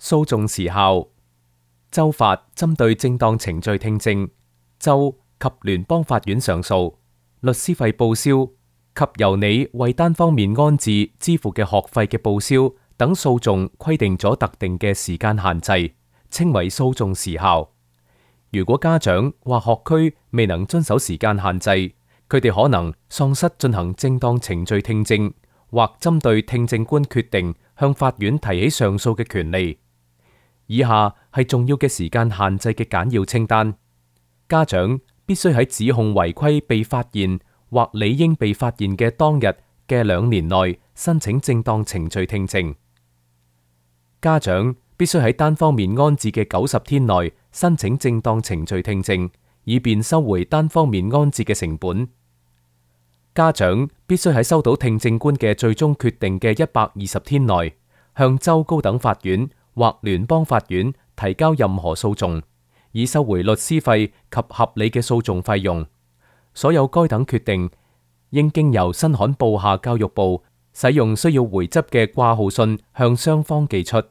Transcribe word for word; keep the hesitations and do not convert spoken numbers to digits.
訴訟時效。州法針對正當程序聽證，州及聯邦法院上訴，律師費報銷及由你為單方面安置支付嘅學費嘅報銷等訴訟規定咗特定嘅時間限制，稱為訴訟時效。如果家長或學區未能遵守時間限制，佢哋可能喪失進行正當程序聽證或針對聽證官決定向法院提起上訴嘅權利。以下係重要嘅時間限制嘅簡要清單。家長必須喺指控違規被發現或理應被發現嘅當日嘅兩年內申請正當程序聽證。家長必須喺單方面安置嘅九十天內申請正當程序聽證，以便收回單方面安置嘅成本。家長必須喺收到聽證官嘅最終決定嘅一百二十天內，向州高等法院或聯邦法院提交任何訴訟，以收回律師費及合理嘅訴訟費用。所有該等決定應經由新罕布夏教育部使用需要回執嘅掛號信向雙方寄出。